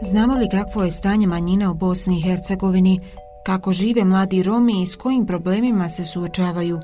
Znamo li kakvo je stanje manjina u Bosni i Hercegovini, kako žive mladi Romi i s kojim problemima se suočavaju?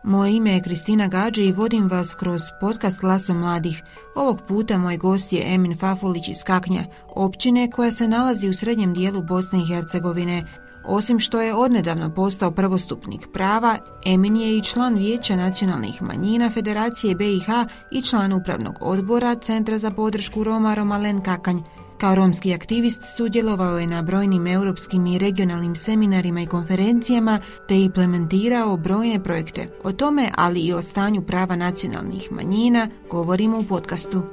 Moje ime je Kristina Gađe i vodim vas kroz podcast Glasom mladih. Ovog puta moj gost je Emin Fafulić iz Kaknja, općine koja se nalazi u srednjem dijelu Bosne i Hercegovine. Osim što je odnedavno postao prvostupnik prava, Emin je i član Vijeća nacionalnih manjina Federacije BiH i član upravnog odbora Centra za podršku Roma Romalen Kakanj. Kao romski aktivist sudjelovao je na brojnim europskim i regionalnim seminarima i konferencijama te implementirao brojne projekte. O tome, ali i o stanju prava nacionalnih manjina, govorimo u podcastu.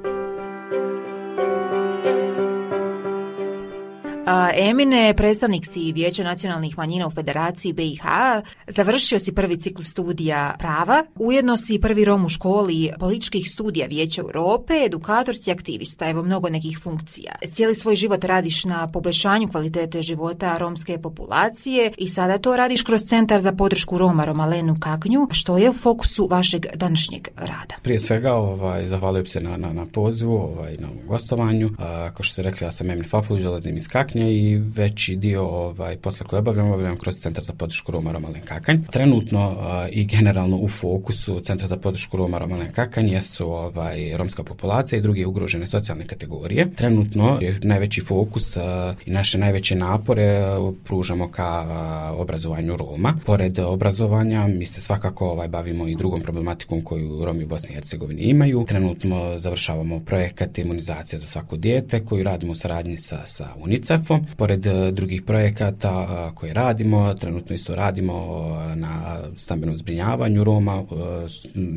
Emine, predstavnik si Vijeća nacionalnih manjina u Federaciji BiH, završio si prvi ciklus studija prava, ujedno si prvi Rom u školi političkih studija Vijeća Europe, edukator si aktivista, evo mnogo nekih funkcija. Cijeli svoj život radiš na poboljšanju kvalitete života romske populacije i sada to radiš kroz Centar za podršku Roma Romalenu Kaknju. Što je u fokusu vašeg današnjeg rada? Prije svega, zahvaljujem se na pozivu, na gostovanju. Kao što ste rekli, ja sam Emin Fafulić, dolazim iz Kaknja i veći dio posla koje obavljam kroz Centar za podršku Roma Romalen Kakanj. Trenutno i generalno u fokusu Centra za podršku Roma Romalen Kakanj jesu romska populacija i druge ugrožene socijalne kategorije. Trenutno je najveći fokus i naše najveće napore pružamo ka obrazovanju Roma. Pored obrazovanja mi se svakako bavimo i drugom problematikom koju Romi u Bosni i Hercegovini imaju. Trenutno završavamo projekat imunizacija za svako dijete koju radimo u saradnji sa UNICEF-om. Pored drugih projekata koje radimo, trenutno isto radimo na stambenom zbrinjavanju Roma,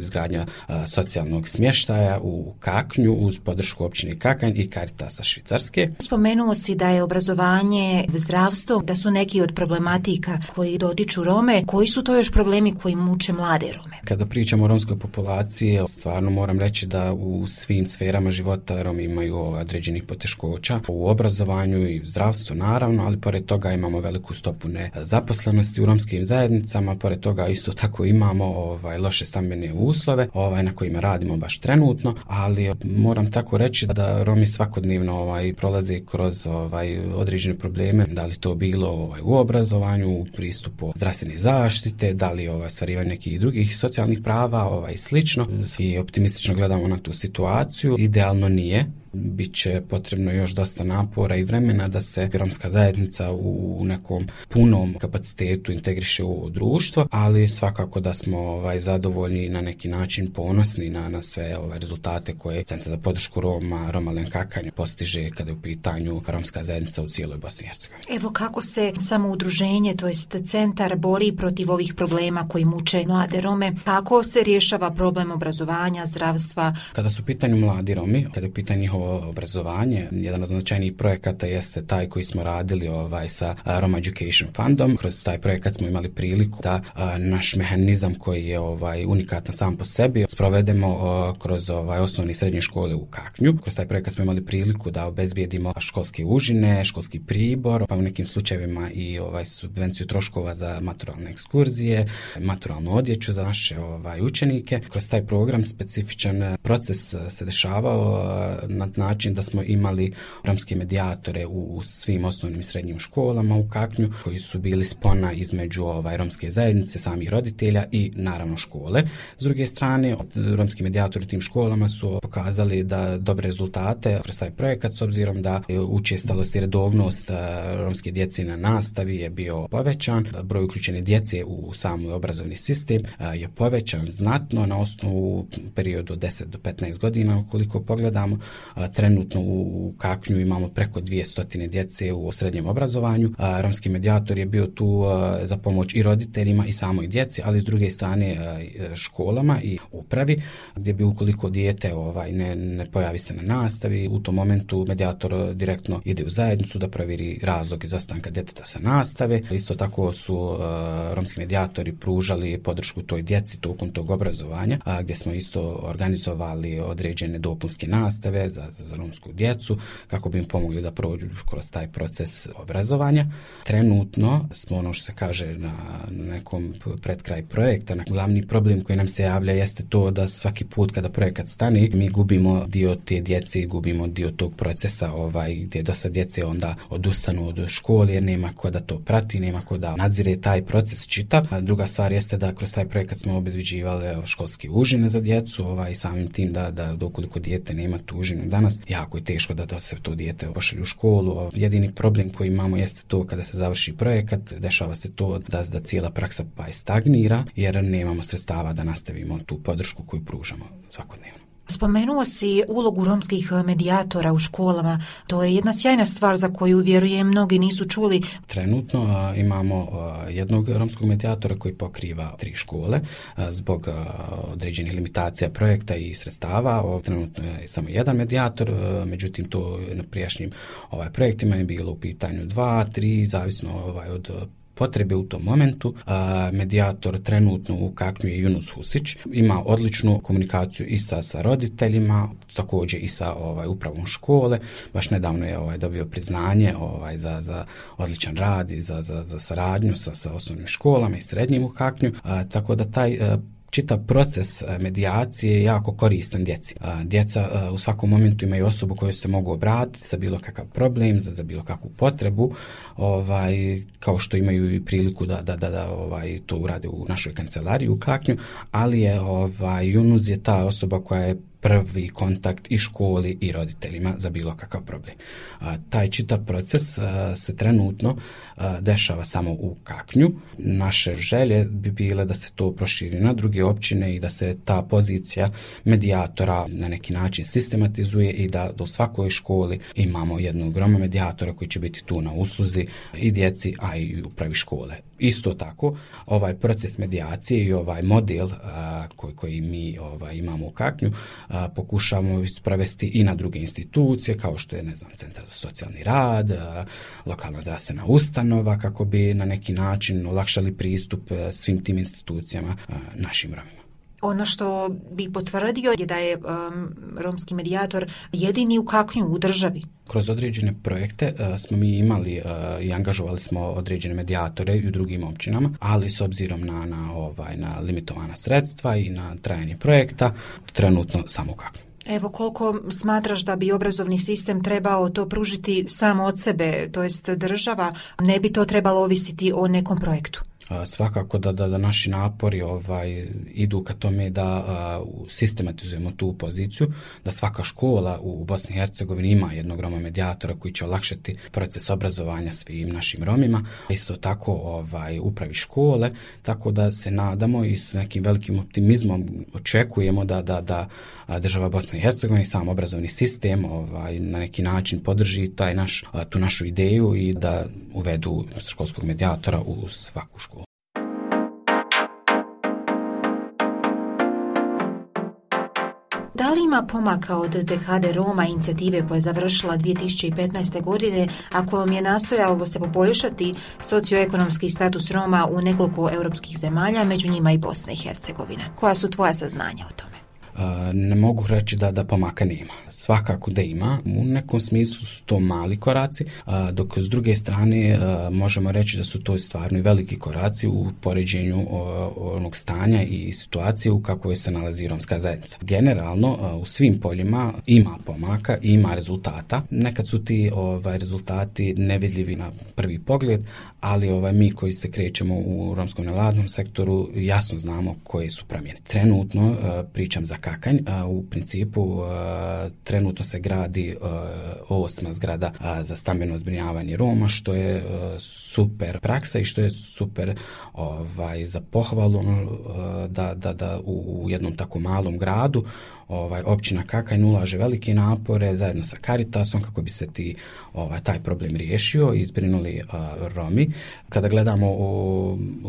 izgradnja socijalnog smještaja u Kaknju uz podršku općine Kakanj i Caritasa Švicarske. Spomenuo si da je obrazovanje, zdravstvo, da su neki od problematika koji dotiču Rome. Koji su to još problemi koji muče mlade Rome? Kada pričamo o romskoj populaciji, stvarno moram reći da u svim sferama života Romi imaju određenih poteškoća u obrazovanju i zdravstvu naravno, ali pored toga imamo veliku stopu nezaposlenosti u romskim zajednicama, pored toga isto tako imamo loše stambene uslove na kojima radimo baš trenutno, ali moram tako reći da Romi svakodnevno prolaze kroz određene probleme, da li to bilo u obrazovanju, u pristupu zdravstvene zaštite, da li ostvarivanje nekih drugih socijalnih prava i slično. I optimistično gledamo na tu situaciju. Idealno nije. Biće potrebno još dosta napora i vremena da se romska zajednica u nekom punom kapacitetu integriše u društvo, ali svakako da smo zadovoljni i na neki način ponosni na sve rezultate koje Centar za podršku Roma Romalen Kakanj postiže kada je u pitanju romska zajednica u cijeloj Bosni i Hercegovini. Evo kako se samo udruženje, to jest centar, bori protiv ovih problema koji muče mlade Rome, kako se rješava problem obrazovanja, zdravstva? Kada su u pitanju mladi Romi, kada je u pitanju njihovo obrazovanje, jedan od značajnijih projekata jeste taj koji smo radili sa Roma Education Fundom. Kroz taj projekat smo imali priliku da naš mehanizam koji je unikatan sam po sebi sprovedemo kroz osnovne i srednje škole u Kaknju. Kroz taj projekat smo imali priliku da obezbijedimo školske užine, školski pribor, pa u nekim slučajevima i subvenciju troškova za maturalne ekskurzije, maturalnu odjeću za naše učenike. Kroz taj program specifičan proces se dešavao na način da smo imali romske medijatore u svim osnovnim i srednjim školama u Kaknju koji su bili spona između romske zajednice, samih roditelja i naravno škole. S druge strane, romski medijatori u tim školama su pokazali da dobre rezultate kroz taj projekat s obzirom da učestalost i redovnost romske djece na nastavi je bio povećan, broj uključene djece u samoj obrazovni sistem je povećan znatno na osnovu periodu od 10 do 15 godina. Ukoliko pogledamo, trenutno u Kaknju imamo preko 200 djece u srednjem obrazovanju. Romski medijator je bio tu za pomoć i roditeljima i samoj djeci, ali s druge strane školama i upravi, gdje bi ukoliko dijete ne pojavi se na nastavi, u tom momentu medijator direktno ide u zajednicu da provjeri razlog izostanka djeteta sa nastave. Isto tako su romski medijatori pružali podršku toj djeci tokom tog obrazovanja, gdje smo isto organizovali određene dopunske nastave za za romsku djecu, kako bi im pomogli da prođu kroz taj proces obrazovanja. Trenutno smo, ono što se kaže na nekom pred kraj projekta, glavni problem koji nam se javlja jeste to da svaki put kada projekat stane, mi gubimo dio te djece, gubimo dio tog procesa gdje dosta djece onda odustanu od škole jer nema ko da to prati, nema ko da nadzire taj proces čitav. A druga stvar jeste da kroz taj projekat smo obezbeđivali školske užine za djecu, samim tim da ukoliko dijete nema tu užinu danas, jako je teško da se to dijete pošalje u školu. Jedini problem koji imamo jeste to kada se završi projekat, dešava se to da cijela praksa stagnira jer nemamo sredstava da nastavimo tu podršku koju pružamo svakodnevno. Spomenuo si ulogu romskih medijatora u školama. To je jedna sjajna stvar za koju, vjerujem, mnogi nisu čuli. Trenutno imamo jednog romskog medijatora koji pokriva 3 škole zbog određenih limitacija projekta i sredstava. Trenutno je samo jedan medijator, međutim to na prijašnjim projektima je bilo u pitanju 2, 3, zavisno od potrebe u tom momentu. Medijator trenutno u Kaknju je Yunus Husić. Ima odličnu komunikaciju i sa roditeljima, također i sa upravom škole. Baš nedavno je dobio priznanje za odličan rad i za saradnju sa osnovnim školama i srednjim u Kaknju. Tako da taj čitav proces medijacije je jako koristan djeci. Djeca u svakom momentu imaju osobu koju se mogu obratiti za bilo kakav problem, za bilo kakvu potrebu, kao što imaju i priliku da to urade u našoj kancelariji u Kaknju, ali je Yunus je ta osoba koja je prvi kontakt i školi i roditeljima za bilo kakav problem. Taj čitav proces se trenutno dešava samo u Kaknju. Naše želje bi bile da se to proširi na druge općine i da se ta pozicija medijatora na neki način sistematizuje i da u svakoj školi imamo jednog Roma medijatora koji će biti tu na usluzi i djeci, a i upravi škole. Isto tako, ovaj proces medijacije i ovaj model koji mi imamo u Kaknju pokušavamo sprovesti i na druge institucije, kao što je, Centar za socijalni rad, lokalna zdravstvena ustanova, kako bi na neki način olakšali pristup svim tim institucijama našim Romima. Ono što bi potvrdio je da je romski medijator jedini u Kaknju u državi. Kroz određene projekte smo mi imali i angažovali smo određene medijatore i u drugim općinama, ali s obzirom na limitovana sredstva i na trajanje projekta, trenutno samo u Kaknju. Evo, koliko smatraš da bi obrazovni sistem trebao to pružiti samo od sebe, to jest država, ne bi to trebalo ovisiti o nekom projektu? Svakako da naši napori idu ka tome da sistematizujemo tu poziciju, da svaka škola u Bosni i Hercegovini ima jednog Roma medijatora koji će olakšati proces obrazovanja svim našim Romima. Isto tako upravi škole, tako da se nadamo i s nekim velikim optimizmom očekujemo da država Bosne i Hercegovine i sam obrazovni sistem na neki način podrži tu našu ideju i da uvedu školskog medijatora u svaku školu. Da li ima pomaka od dekade Roma, inicijative koja je završila 2015. godine, a kojom je nastojalo se poboljšati socioekonomski status Roma u nekoliko europskih zemalja, među njima i Bosna i Hercegovina? Koja su tvoja saznanja o tome? Ne mogu reći da pomaka nema. Svakako da ima. U nekom smislu su to mali koraci, dok s druge strane možemo reći da su to stvarno i veliki koraci u poređenju onog stanja i situacije u kakvoj se nalazi romska zajednica. Generalno, u svim poljima ima pomaka i ima rezultata. Nekad su ti rezultati nevidljivi na prvi pogled, ali mi koji se krećemo u romskom nevladnom sektoru jasno znamo koje su promjene. Trenutno, pričam za Kakanj, u principu trenutno se gradi 8. zgrada za stambeno zbrinjavanje Roma, što je super praksa i što je super za pohvalu da u jednom tako malom gradu općina Kakanj ulaže velike napore zajedno sa Caritasom kako bi se taj problem riješio i zbrinuli Romi. Kada gledamo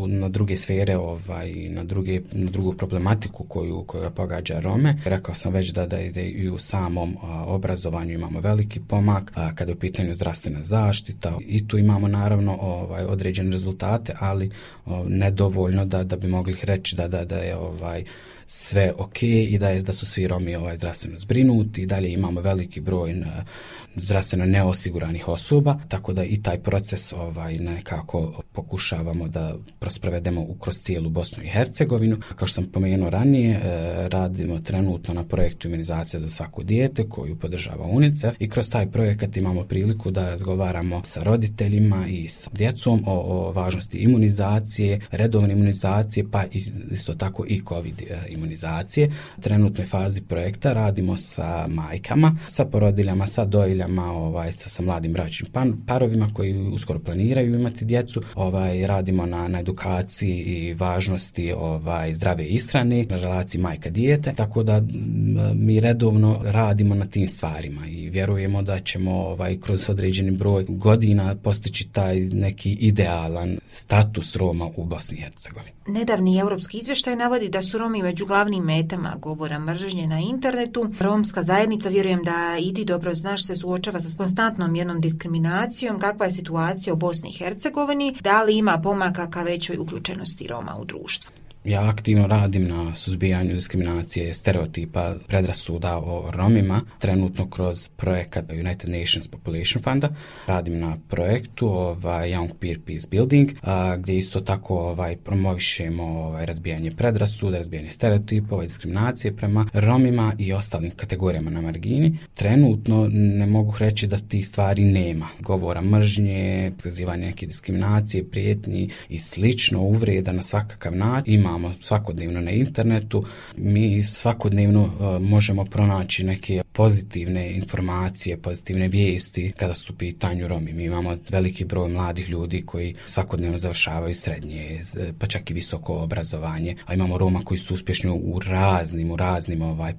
na druge sfere na drugu problematiku koja pogađa Rome, rekao sam već da i u samom obrazovanju imamo veliki pomak, kada je u pitanju zdravstvena zaštita i tu imamo naravno određene rezultate, ali nedovoljno da bi mogli reći da je sve ok i da su svi Romi Romi zdravstveno zbrinuti, i dalje imamo veliki broj zdravstveno neosiguranih osoba, tako da i taj proces nekako pokušavamo da prosprovedemo kroz cijelu Bosnu i Hercegovinu. Kao što sam pomenuo ranije, radimo trenutno na projektu imunizacija za svako dijete koju podržava UNICEF, i kroz taj projekat imamo priliku da razgovaramo sa roditeljima i sa djecom o važnosti imunizacije, redovne imunizacije, pa isto tako i COVID imunizacije. U trenutnoj fazi projekta radimo sa majkama, sa porodiljama, sa dojiljama, sa mladim bračnim parovima koji uskoro planiraju imati djecu. Radimo na edukaciji i važnosti zdrave ishrane, na relaciji majka-dijete, tako da mi redovno radimo na tim stvarima i vjerujemo da ćemo kroz određeni broj godina postići taj neki idealan status Roma u Bosni i Hercegovini. Nedavni europski izvještaj navodi da su Romi među glavnim metama govora mržnje na internetu. Romska zajednica, vjerujem da i ti dobro znaš, se suočava sa konstantnom jednom diskriminacijom. Kakva je situacija u Bosni i Hercegovini? Da li ima pomaka ka većoj uključenosti Roma u društvo? Ja aktivno radim na suzbijanju diskriminacije, stereotipa, predrasuda o Romima, trenutno kroz projekat United Nations Population Funda. Radim na projektu Young Peer Peace Building, gdje isto tako promovišemo razbijanje predrasuda, razbijanje stereotipa, diskriminacije prema Romima i ostalim kategorijama na margini. Trenutno ne mogu reći da tih stvari nema. Govora mržnje, prozivanje neke diskriminacije, prijetnji i slično, uvreda na svakakav način imamo svakodnevno na internetu. Mi svakodnevno možemo pronaći neke pozitivne informacije, pozitivne vijesti kada su u pitanju Romi. Mi imamo veliki broj mladih ljudi koji svakodnevno završavaju srednje, pa čak i visoko obrazovanje, a imamo Roma koji su uspješni u raznim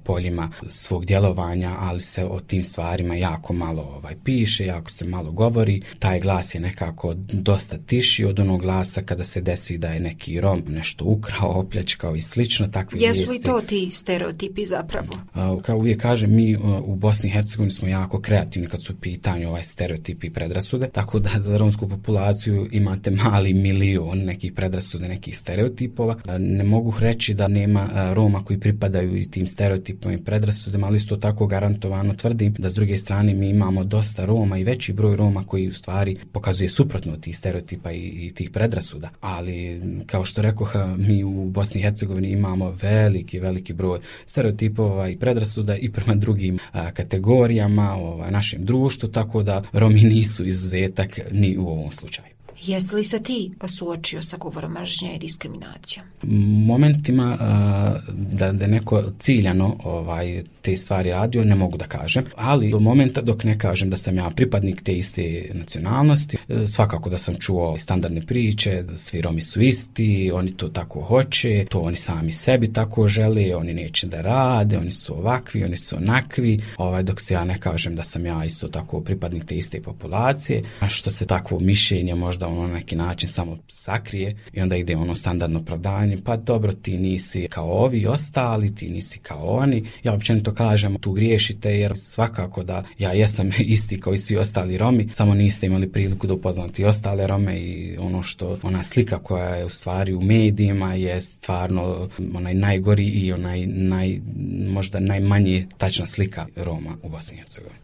poljima svog djelovanja, ali se o tim stvarima jako malo piše, jako se malo govori. Taj glas je nekako dosta tiši od onog glasa kada se desi da je neki Rom nešto ukrao, opljačkao i slično, takve vijesti. Jesu li to ti stereotipi zapravo? Kao uvijek kažem, mi u Bosni i Hercegovini smo jako kreativni kad su u pitanju stereotipi i predrasude, tako da za romsku populaciju imate mali milion nekih predrasude, nekih stereotipova. Ne mogu reći da nema Roma koji pripadaju i tim stereotipima i predrasudama, ali isto tako garantovano tvrdim da s druge strane mi imamo dosta Roma i veći broj Roma koji u stvari pokazuje suprotno od tih stereotipa i tih predrasuda. Ali kao što rekoh, mi u Bosni i Hercegovini imamo veliki broj stereotipova i predrasuda i prema drugim kategorijama našem društvu, tako da Romi nisu izuzetak ni u ovom slučaju. Jesi li se ti suočio sa govorom mržnje i diskriminacijom? Momentima da neko ciljano te stvari radio, ne mogu da kažem, ali do momenta dok ne kažem da sam ja pripadnik te iste nacionalnosti, svakako da sam čuo standardne priče, svi Romi su isti, oni to tako hoće, to oni sami sebi tako žele, oni neće da rade, oni su ovakvi, oni su onakvi, dok se ja ne kažem da sam ja isto tako pripadnik te iste populacije, a što se takvo mišljenje možda na neki način samo sakrije i onda ide standardno opravdanje, pa dobro, ti nisi kao ovi ostali, ti nisi kao oni. Ja općenito kažem, tu griješite, jer svakako da ja jesam isti kao i svi ostali Romi, samo niste imali priliku da upoznati ostale Rome i ona slika koja je u stvari u medijima je stvarno onaj najgori i možda najmanje tačna slika Roma u Bosni i Hercegovini.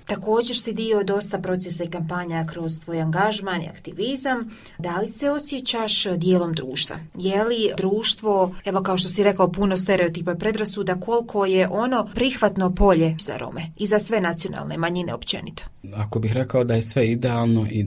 Također si dio dosta procesa i kampanja kroz tvoj angažman i aktivizam. Da li se osjećaš dijelom društva? Je li društvo, evo kao što si rekao, puno stereotipa i predrasuda, koliko je ono prihvatno polje za Rome i za sve nacionalne manjine općenito? Ako bih rekao da je sve idealno i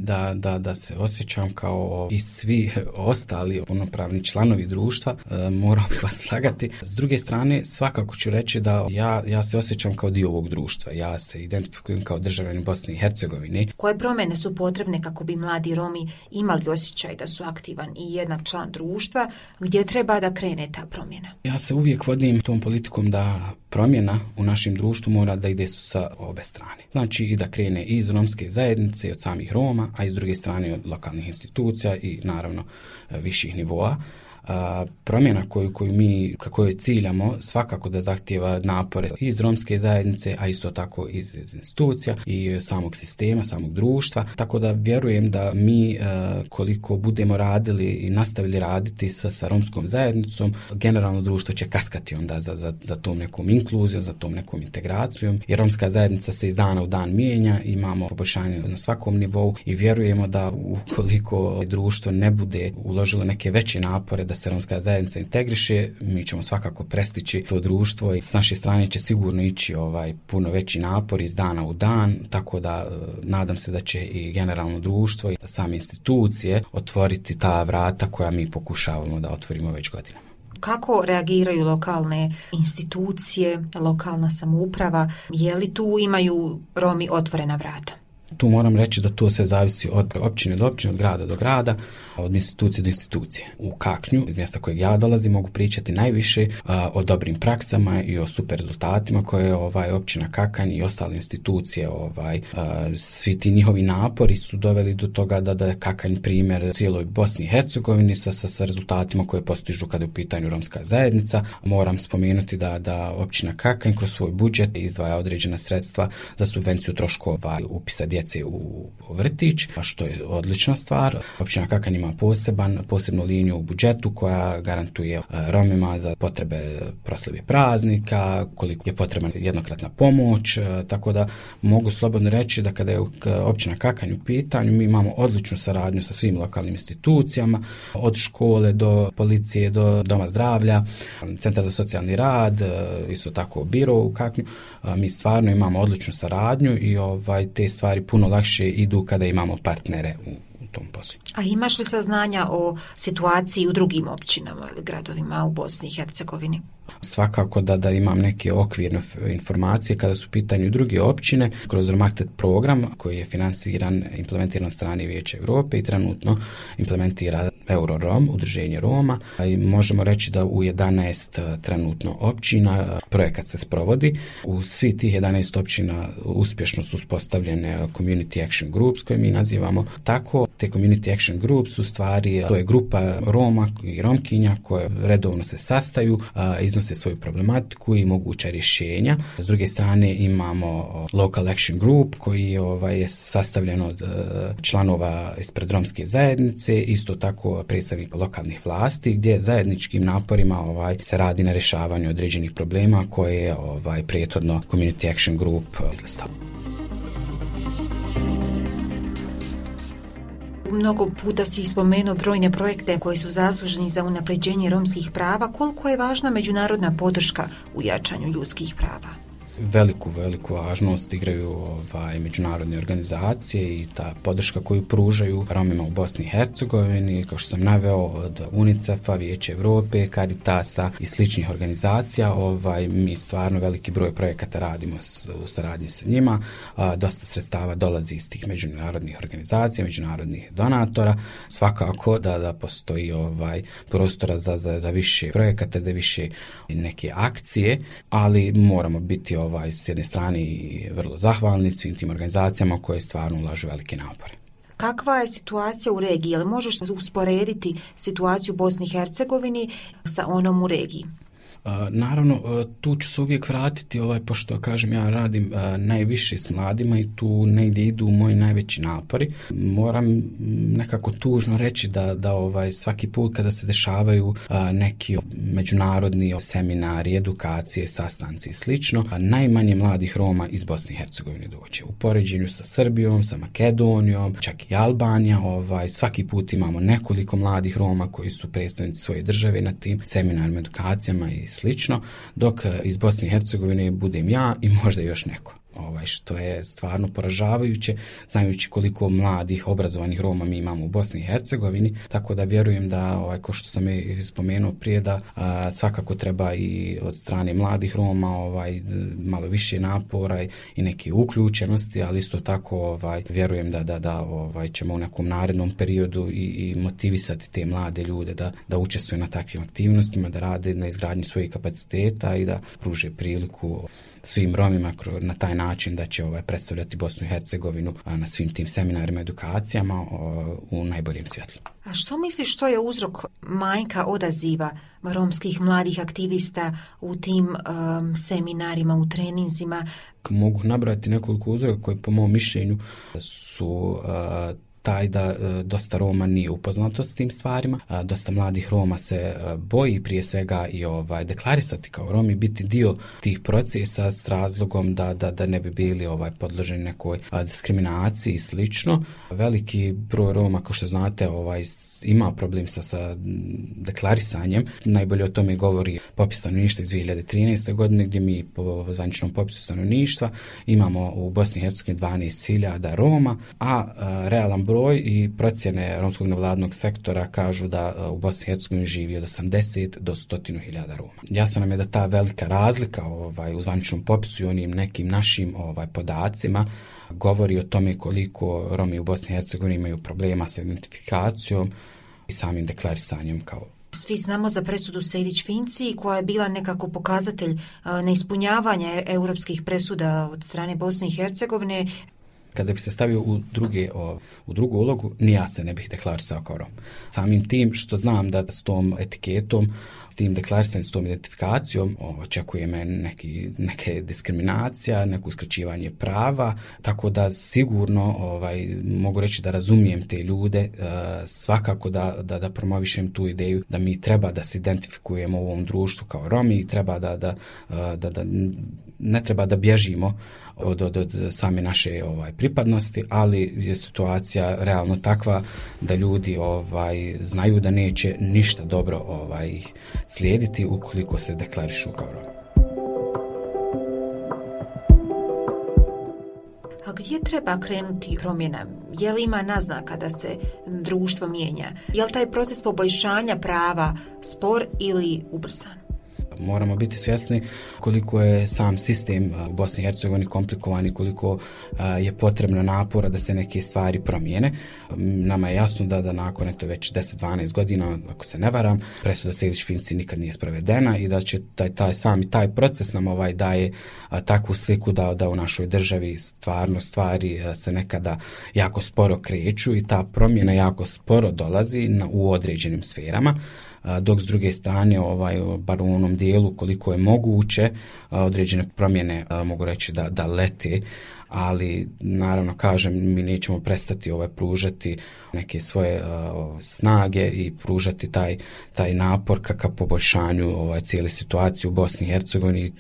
da se osjećam kao i svi ostali punopravni članovi društva, moram vas slagati. S druge strane, svakako ću reći da ja se osjećam kao dio ovog društva. Ja se identifikujem kao državljanin Bosne i Hercegovine. Koje promjene su potrebne kako bi mladi Romi imali osjećaj da su aktivan i jednak član društva? Gdje treba da krene ta promjena? Ja se uvijek vodim tom politikom da promjena u našem društvu mora da ide sa obe strane. Znači i da krene iz romske zajednice, od samih Roma, a i s druge strane od lokalnih institucija i naravno viših nivoa. promjena koju mi kako je ciljamo svakako da zahtijeva napore iz romske zajednice, a isto tako iz institucija i samog sistema, samog društva. Tako da vjerujem da mi koliko budemo radili i nastavili raditi sa romskom zajednicom, generalno društvo će kaskati onda za tom nekom inkluzijom, za tom nekom integracijom, jer romska zajednica se iz dana u dan mijenja, imamo poboljšanje na svakom nivou i vjerujemo da ukoliko društvo ne bude uložilo neke veće napore da se romska zajednica integriše, mi ćemo svakako prestići to društvo i s naše strane će sigurno ići puno veći napor iz dana u dan, tako da nadam se da će i generalno društvo i same institucije otvoriti ta vrata koja mi pokušavamo da otvorimo već godinama. Kako reagiraju lokalne institucije, lokalna samouprava? Je li tu imaju Romi otvorena vrata? Tu moram reći da to sve zavisi od općine do općine, od grada do grada, od institucije do institucije. U Kaknju, iz mjesta kojeg ja dolazim, mogu pričati najviše o dobrim praksama i o super rezultatima koje općina Kakanj i ostale institucije, svi ti njihovi napori su doveli do toga da je Kakanj primjer cijeloj Bosni i Hercegovini sa rezultatima koje postižu kada je u pitanju romska zajednica. Moram spomenuti da općina Kakanj kroz svoj budžet izdvaja određena sredstva za subvenciju troškova upisa djece u vrtić, što je odlična stvar. Općina Kakanj ima posebnu liniju u budžetu koja garantuje Romima za potrebe proslave praznika, koliko je potrebna jednokratna pomoć, tako da mogu slobodno reći da kada je općina Kakanj u pitanju, mi imamo odličnu saradnju sa svim lokalnim institucijama, od škole do policije, do doma zdravlja, centar za socijalni rad, isto tako biro u Kaknju. Mi stvarno imamo odličnu saradnju i te stvari puno lakše idu kada imamo partnere u tom poslu. A imaš li saznanja o situaciji u drugim općinama ili gradovima u Bosni i Hercegovini? Svakako da imam neke okvirne informacije kada su u pitanju druge općine kroz Romaktet program koji je finansiran, implementiran od strane Vijeća Europe i trenutno implementira Eurorom, udruženje Roma. I možemo reći da u 11 trenutno općina projekat se sprovodi. U svih tih 11 općina uspješno su uspostavljene community action groups koje mi nazivamo tako. Te community action groups u stvari to je grupa Roma i Romkinja koje redovno se sastaju, iznose svoju problematiku i moguća rješenja. S druge strane imamo local action group koji je sastavljen od članova ispred romske zajednice, isto tako predstavnika lokalnih vlasti gdje zajedničkim naporima se radi na rješavanju određenih problema koje je prethodno community action group izlistao. Mnogo puta si spomenuo brojne projekte koji su zasluženi za unapređenje romskih prava. Koliko je važna međunarodna podrška u jačanju ljudskih prava? Veliku važnost igraju međunarodne organizacije i ta podrška koju pružaju Romima u Bosni i Hercegovini, kao što sam naveo, od UNICEF-a, Vijeća Europe, Caritasa i sličnih organizacija. Mi stvarno veliki broj projekata radimo u saradnji sa njima. Dosta sredstava dolazi iz tih međunarodnih organizacija, međunarodnih donatora. Svakako da postoji prostora za više projekata, za više neke akcije, ali moramo biti s jedne strane i vrlo zahvalni svim tim organizacijama koje stvarno ulažu velike napore. Kakva je situacija u regiji? Jel možeš usporediti situaciju u Bosni i Hercegovini sa onom u regiji? Naravno, tu ću se uvijek vratiti, pošto kažem ja radim najviše s mladima i tu negdje idu moji najveći napori. Moram nekako tužno reći da svaki put kada se dešavaju neki međunarodni seminari, edukacije, sastanci i slično, najmanje mladih Roma iz Bosne i Hercegovine doće. U poređenju sa Srbijom, sa Makedonijom, čak i Albanija, svaki put imamo nekoliko mladih Roma koji su predstavnici svoje države na tim seminarima, edukacijama i slično, dok iz Bosne i Hercegovine budem ja i možda još neko. Što je stvarno poražavajuće, znajući koliko mladih, obrazovanih Roma mi imamo u Bosni i Hercegovini, tako da vjerujem da, kao što sam i spomenuo prije, da svakako treba i od strane mladih Roma malo više napora i neke uključenosti, ali isto tako vjerujem da ćemo u nekom narednom periodu i motivisati te mlade ljude da učestvuju na takvim aktivnostima, da rade na izgradnji svojih kapaciteta i da pruže priliku svim Romima na taj način da će predstavljati Bosnu i Hercegovinu na svim tim seminarima, edukacijama u najboljem svjetlu. A što misliš što je uzrok manjka odaziva romskih mladih aktivista u tim seminarima, u treninzima? Mogu nabrati nekoliko uzroka koji po mom mišljenju su taj da dosta Roma nije upoznato s tim stvarima. Dosta mladih Roma se boji prije svega i deklarisati kao Romi, biti dio tih procesa s razlogom da ne bi bili podloženi nekoj diskriminaciji i slično. Veliki broj Roma, kao što znate, ima problem sa deklarisanjem. Najbolje o tome govori popis stanovništva iz 2013. godine, gdje mi po zvaničnom popisu stanovništva imamo u Bosni i Hercegovini 12.000 Roma, a realan broj i procjene romskog nevladnog sektora kažu da u Bosni i Hercegovini živi od 80 do 100.000 Roma. Jasno nam je da ta velika razlika u zvaničnom popisu i onim nekim našim podacima govori o tome koliko Romi u Bosni i Hercegovini imaju problema sa identifikacijom i samim deklarisanjem kao. Svi znamo za presudu Sejdić-Finci koja je bila nekako pokazatelj neispunjavanja europskih presuda od strane Bosne i Hercegovine. Kada bi se stavio u drugu ulogu, ni ja se ne bih deklarisao kao Rom. Samim tim što znam da s tom etiketom, s tim deklarisanjem, s tom identifikacijom očekuje me neke diskriminacija, neko uskraćivanje prava, tako da sigurno mogu reći da razumijem te ljude, svakako da promovišem tu ideju da mi treba da se identifikujemo u ovom društvu kao Romi i treba da ne treba da bježimo od same naše pripadnosti, ali je situacija realno takva da ljudi znaju da neće ništa dobro slijediti ukoliko se deklarišu kao Romi. A gdje treba krenuti promjena? Je li ima naznaka da se društvo mijenja? Je li taj proces poboljšanja prava spor ili ubrzan? Moramo biti svjesni koliko je sam sistem u Bosni i Hercegovini komplikovan i koliko je potrebno napora da se neke stvari promijene. Nama je jasno da nakon već 10-12 godina, ako se ne varam, presuda Sejdić-Finci nikad nije sprovedena i da će taj proces nam daje takvu sliku da u našoj državi stvarno stvari se nekada jako sporo kreću i ta promjena jako sporo dolazi u određenim sferama. Dok s druge strane, bar u onom dijelu koliko je moguće, određene promjene mogu reći da lete, ali naravno kažem, mi nećemo prestati pružati neke svoje snage i pružati taj napor ka poboljšanju cijele situacije u Bosni i Hercegovini,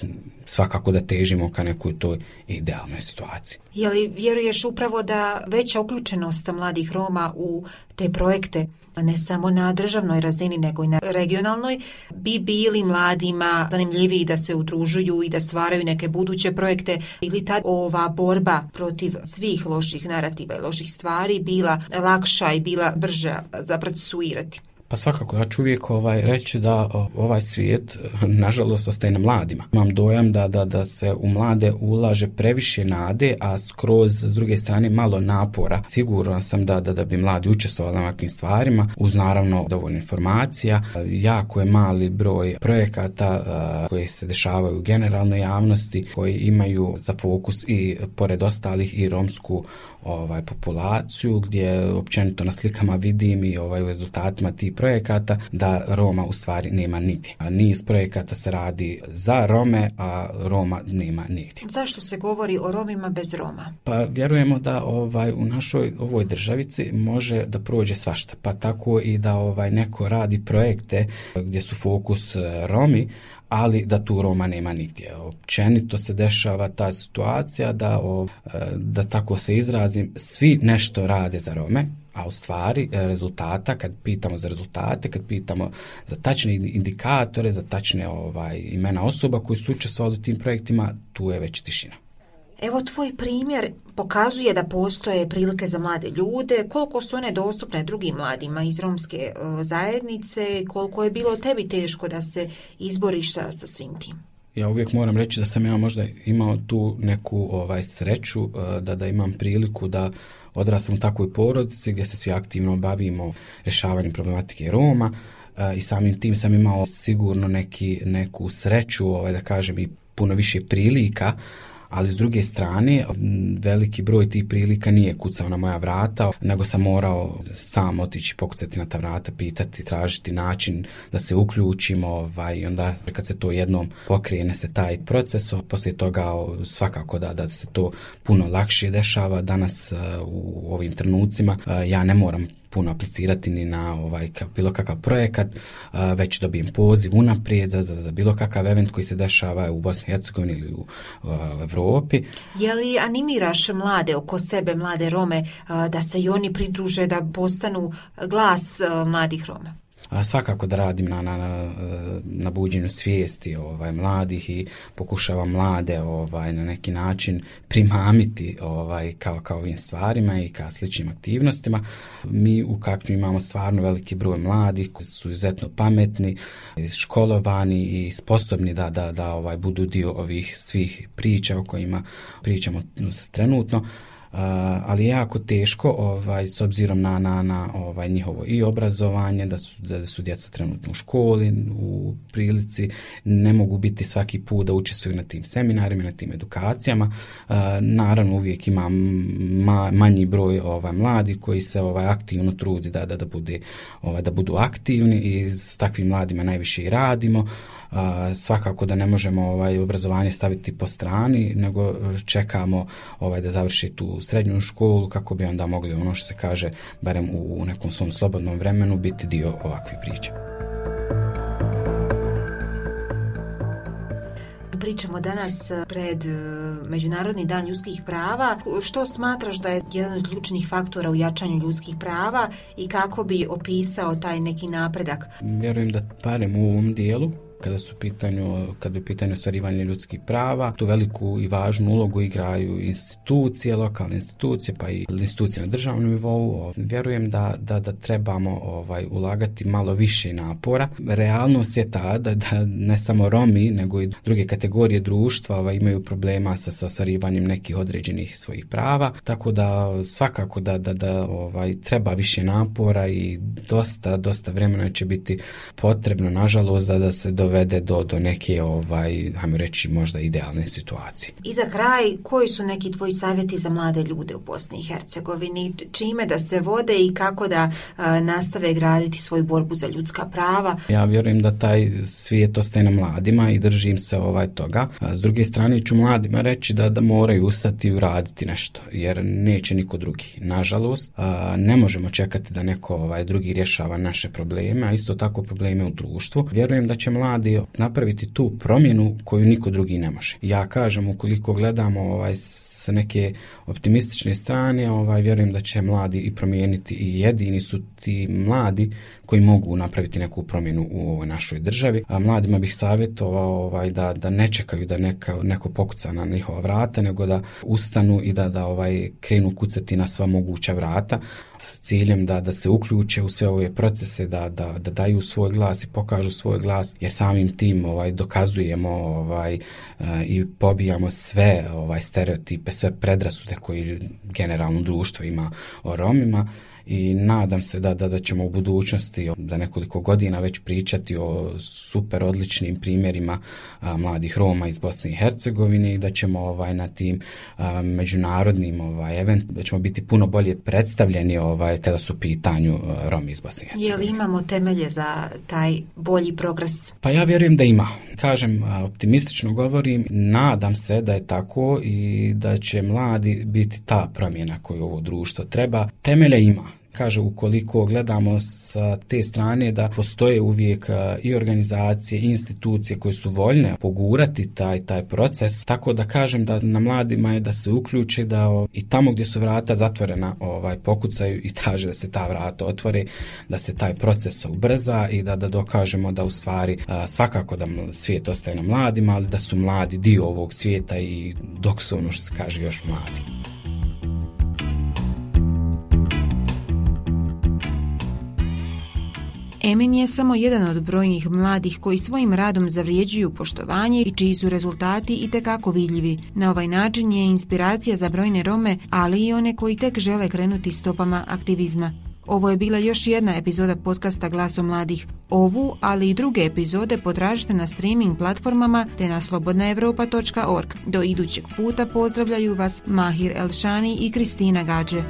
svakako da težimo ka nekoj toj idealnoj situaciji. Je li vjeruješ upravo da veća uključenost mladih Roma u te projekte, ne samo na državnoj razini nego i na regionalnoj, bi bili mladima zanimljiviji da se udružuju i da stvaraju neke buduće projekte, ili ta ova borba protiv svih loših narativa i loših stvari bila lakša i bila brža za procesuirati? Pa svakako, ja ću uvijek reći da ovaj svijet, nažalost, ostaje na mladima. Imam dojam da se u mlade ulaže previše nade, a skroz s druge strane malo napora. Siguran sam da bi mladi učestvovali na ovakvim stvarima, uz naravno dovoljno informacija. Jako je mali broj projekata koji se dešavaju u generalnoj javnosti, koji imaju za fokus i pored ostalih i romsku populaciju, gdje općenito na slikama vidim i u rezultatima tih projekata da Roma u stvari nema nigdje. Niz projekata se radi za Rome, a Roma nema nigdje. Zašto se govori o Romima bez Roma? Pa vjerujemo da u našoj ovoj državici može da prođe svašta, pa tako i da neko radi projekte gdje su fokus Romi, ali da tu Roma nema nigdje. Općenito se dešava ta situacija da tako se izrazim, svi nešto rade za Rome, a u stvari rezultata, kad pitamo za rezultate, kad pitamo za tačne indikatore, za tačne imena osoba koji su učestvovali u tim projektima, tu je već tišina. Evo, tvoj primjer pokazuje da postoje prilike za mlade ljude, koliko su one dostupne drugim mladima iz romske zajednice, koliko je bilo tebi teško da se izboriš sa svim tim. Ja uvijek moram reći da sam ja možda imao tu neku sreću da imam priliku da odrastam u takvoj porodici gdje se svi aktivno bavimo rješavanjem problematike Roma i samim tim sam imao sigurno neku sreću, da kažem, i puno više prilika, ali s druge strane veliki broj tih prilika nije kucao na moja vrata, nego sam morao sam otići, pokucati na ta vrata, pitati, tražiti način da se uključimo, i onda kad se to jednom pokrene se taj proces, poslije toga svakako da se to puno lakše dešava. Danas u ovim trenucima ja ne moram puno aplicirati ni na bilo kakav projekat, već dobijem poziv unaprijed za bilo kakav event koji se dešava u Bosni i Hercegovini ili u Evropi. Je li animiraš mlade oko sebe, mlade Rome, da se i oni pridruže, da postanu glas mladih Roma? Svakako da radim na buđenju svijesti mladih i pokušavam mlade na neki način primamiti kao ovim stvarima i kao sličnim aktivnostima. Mi u Kaknju imamo stvarno veliki broj mladih koji su izuzetno pametni, školovani i sposobni da budu dio ovih svih priča o kojima pričamo trenutno. Ali je jako teško s obzirom na njihovo i obrazovanje, da su djeca trenutno u školi, u prilici, ne mogu biti svaki put da učestvuju na tim seminarima, na tim edukacijama. Naravno uvijek ima manji broj mladih koji se aktivno trudi da budu aktivni i s takvim mladima najviše i radimo. Svakako da ne možemo obrazovanje staviti po strani, nego čekamo da završi tu srednju školu kako bi onda mogli, ono što se kaže, barem u nekom svom slobodnom vremenu, biti dio ovakvih priča. Pričamo danas pred Međunarodni dan ljudskih prava. Što smatraš da je jedan od ključnih faktora u jačanju ljudskih prava i kako bi opisao taj neki napredak? Vjerujem da barem u ovom dijelu, kada je u pitanju ostvarivanje ljudskih prava, tu veliku i važnu ulogu igraju institucije, lokalne institucije, pa i institucije na državnom nivou. Vjerujem da trebamo ulagati malo više napora. Realnost je ta da ne samo Romi, nego i druge kategorije društva imaju problema sa ostvarivanjem nekih određenih svojih prava, tako da svakako da treba više napora i dosta vremena će biti potrebno, nažalost, da se dovede do neke, hajmo reći, možda idealne situacije. I za kraj, koji su neki tvoji savjeti za mlade ljude u Bosni i Hercegovini? Čime da se vode i kako da nastave graditi svoju borbu za ljudska prava? Ja vjerujem da taj svijet ostaje na mladima i držim se toga. S druge strane ću mladima reći da moraju ustati i uraditi nešto, jer neće niko drugi. Nažalost, ne možemo čekati da neko drugi rješava naše probleme, a isto tako probleme u društvu. Vjerujem da će mladi napraviti tu promjenu koju niko drugi ne može. Ja kažem, ukoliko gledamo sa neke optimistične strane, vjerujem da će mladi i promijeniti i jedini su ti mladi koji mogu napraviti neku promjenu u ovoj našoj državi. A mladima bih savjetovao da ne čekaju da neko pokuca na njihova vrata, nego da ustanu i da krenu kucati na sva moguća vrata s ciljem da se uključe u sve ove procese, da daju svoj glas i pokažu svoj glas, jer samim tim dokazujemo i pobijamo sve stereotipe, sve predrasude koji generalno društvo ima o Romima. I nadam se da ćemo u budućnosti za nekoliko godina već pričati o super odličnim primjerima mladih Roma iz Bosne i Hercegovine i da ćemo na tim međunarodnim eventima, da ćemo biti puno bolje predstavljeni kada su u pitanju Romi iz Bosne i Hercegovine. Je li imamo temelje za taj bolji progres? Pa ja vjerujem da ima. Kažem, optimistično govorim, nadam se da je tako i da će mladi biti ta promjena koju ovo društvo treba. Temelje ima. Kaže, ukoliko gledamo sa te strane da postoje uvijek i organizacije i institucije koje su voljne pogurati taj proces, tako da kažem da na mladima je da se uključe, da i tamo gdje su vrata zatvorena pokucaju i traže da se ta vrata otvore, da se taj proces ubrza i da dokažemo da u stvari svakako da svijet ostaje na mladima, ali da su mladi dio ovog svijeta i dok su, ono što se kaže, još mladi. Emin je samo jedan od brojnih mladih koji svojim radom zavrijeđuju poštovanje i čiji su rezultati itekako vidljivi. Na ovaj način je inspiracija za brojne Rome, ali i one koji tek žele krenuti stopama aktivizma. Ovo je bila još jedna epizoda podcasta Glasom mladih. Ovu, ali i druge epizode potražite na streaming platformama te na slobodnaevropa.org. Do idućeg puta pozdravljaju vas Mahir Elšani i Kristina Gađe.